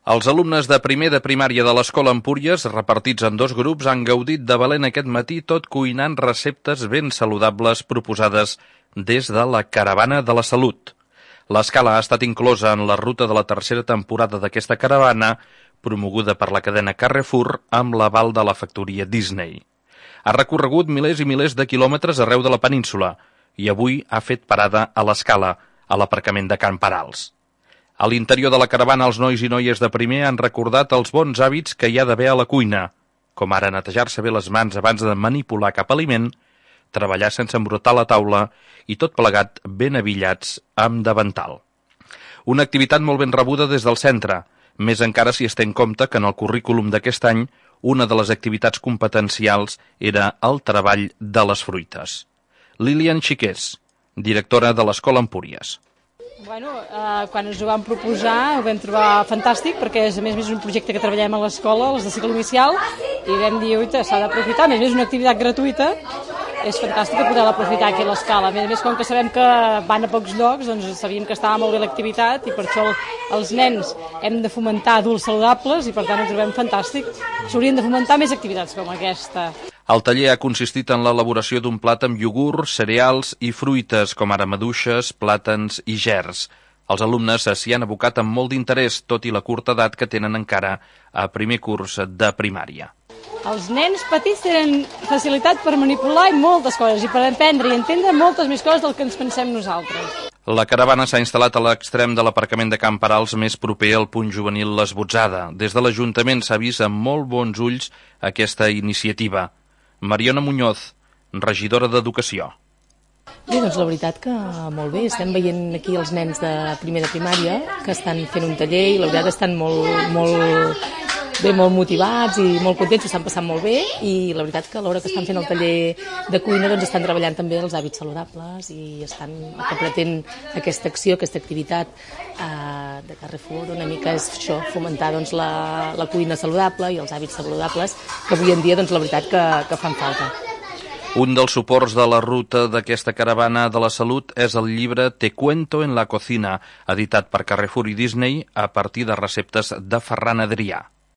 Els alumnes de primer de primària de l'Escola Empúries, repartits en 2 grups, han gaudit de valent aquest matí tot cuinant receptes ben saludables proposades des de la Caravana de la Salut. L'escala ha estat inclosa en la ruta de la tercera temporada d'aquesta caravana, promoguda per la cadena Carrefour amb l'aval de la factoria Disney. Ha recorregut milers i milers de quilòmetres arreu de la península i avui ha fet parada a l'escala, a l'aparcament de Can Parals. A l'interior de la caravana, els nois i noies de primer han recordat els bons hàbits que hi ha d'haver a la cuina, com ara netejar-se bé les mans abans de manipular cap aliment, treballar sense embrutar la taula i tot plegat ben abillats amb davantal. Una activitat molt ben rebuda des del centre, més encara si es té en compte que en el currículum d'aquest any una de les activitats competencials era el treball de les fruites. Lilian Xiqués, directora de l'Escola Empúries. Quan ens ho vam proposar ho vam trobar fantàstic perquè a més és un projecte que treballem a l'escola, els de cicle inicial, i vam dir, s'ha d'aprofitar, a més és una activitat gratuïta, és fantàstic poder-la aprofitar aquí a l'escala. A més, com que sabem que van a pocs llocs, doncs sabíem que estava molt bé l'activitat i per això els nens hem de fomentar adults saludables i per tant ho trobem fantàstic. S'haurien de fomentar més activitats com aquesta. El taller ha consistit en l'elaboració d'un plat amb iogurt, cereals i fruites, com ara maduixes, plàtans i gerds. Els alumnes s'hi han abocat amb molt d'interès, tot i la curta edat que tenen encara a primer curs de primària. Els nens petits tenen facilitat per manipular moltes coses i per aprendre i entendre moltes més coses del que ens pensem nosaltres. La caravana s'ha instal·lat a l'extrem de l'aparcament de Can Parals més proper al punt juvenil l'Esbotzada. Des de l'Ajuntament s'ha vist amb molt bons ulls aquesta iniciativa. Mariona Muñoz, regidora d'Educació. Bé, doncs la veritat que molt bé. Estem veient aquí els nens de primer de primària que estan fent un taller i la veritat estan molt motivats i molt contents, ho estan passant molt bé i la veritat que a l'hora que estan fent el taller de cuina doncs estan treballant també els hàbits saludables i estan, el que pretén aquesta acció, aquesta activitat de Carrefour una mica és això, fomentar doncs, la cuina saludable i els hàbits saludables que avui en dia doncs, la veritat que fan falta. Un dels suports de la ruta d'aquesta caravana de la salut és el llibre Te cuento en la cocina, editat per Carrefour i Disney a partir de receptes de Ferran Adrià.